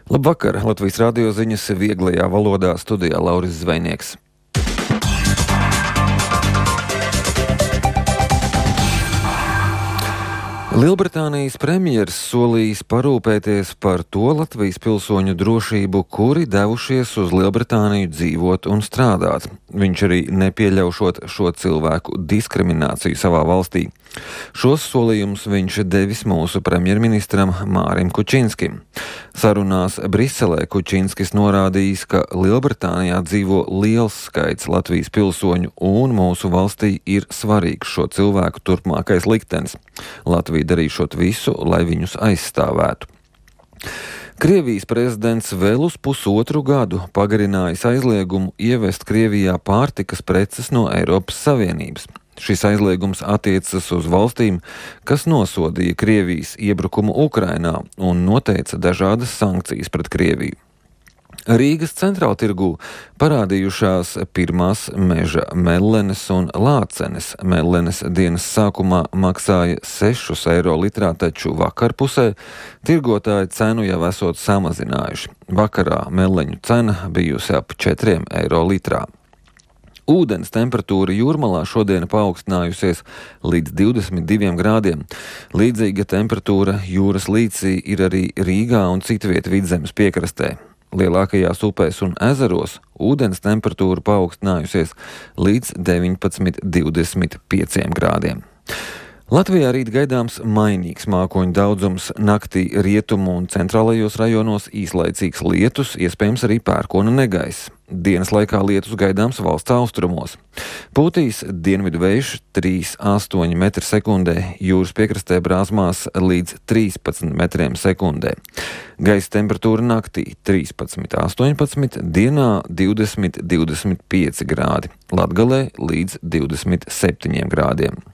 Labvakar! Latvijas radio ziņas vieglajā valodā, studijā Lauris Zvejnieks. Lielbritānijas premjers solījis parūpēties par to Latvijas pilsoņu drošību, kuri devušies uz Lielbritāniju dzīvot un strādāt. Viņš arī nepieļaušot šo cilvēku diskrimināciju savā valstī. Šos solījumus viņš devis mūsu premjerministram Mārim Kučinskim. Sarunās Briselē Kučinskis norādījis, ka Lielbritānijā dzīvo liels skaits Latvijas pilsoņu un mūsu valstī ir svarīgs šo cilvēku turpmākais liktenis. Latvija darīšot visu, lai viņus aizstāvētu. Krievijas prezidents vēl uz pusotru gadu pagarinājis aizliegumu ievest Krievijā pārtikas preces no Eiropas Savienības. Šis aizliegums attiecas uz valstīm, kas nosodīja Krievijas iebrukumu Ukrainā un noteica dažādas sankcijas pret Krieviju. Rīgas centrāltirgū parādījušās pirmās meža mellenes un lācenes. Mellenes dienas sākumā maksāja 6 eiro litrā, taču vakarpusē tirgotāji cenu jau esot samazinājuši. Vakarā melleņu cena bijusi ap 4 eiro litrā. Ūdens temperatūra Jūrmalā šodien paaugstinājusies līdz 22 grādiem. Līdzīga temperatūra jūras līcī ir arī Rīgā un citviet Vidzemes piekrastē. Lielākajās upēs un ezeros ūdens temperatūra paaugstinājusies līdz 19–25 grādiem. Latvijā rīt gaidāms mainīgs mākoņu daudzums, naktī rietumu un centrālajos rajonos īslaicīgs lietus, iespējams arī pērkona negaiss. Dienas laikā lietus gaidāms valsts austrumos. Pūtīs dienvidu vējš 3–8 metri sekundē, jūras piekrastē brāzmās līdz 13 metriem sekundē. Gaisa temperatūra naktī 13–18, dienā 20–25 grādi, Latgalē līdz 27 grādiem.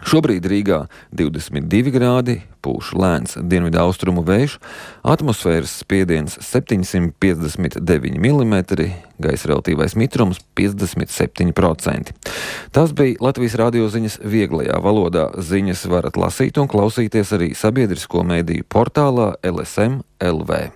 Šobrīd Rīgā 22 grādi, pūš lēns dienvidu austrumu vējš, atmosfēras spiediens 759 mm, gaisa relatīvais mitrums 57%. Tas bija Latvijas radio ziņas vieglajā valodā. Ziņas varat lasīt un klausīties arī sabiedrisko mediju portālā LSM LV.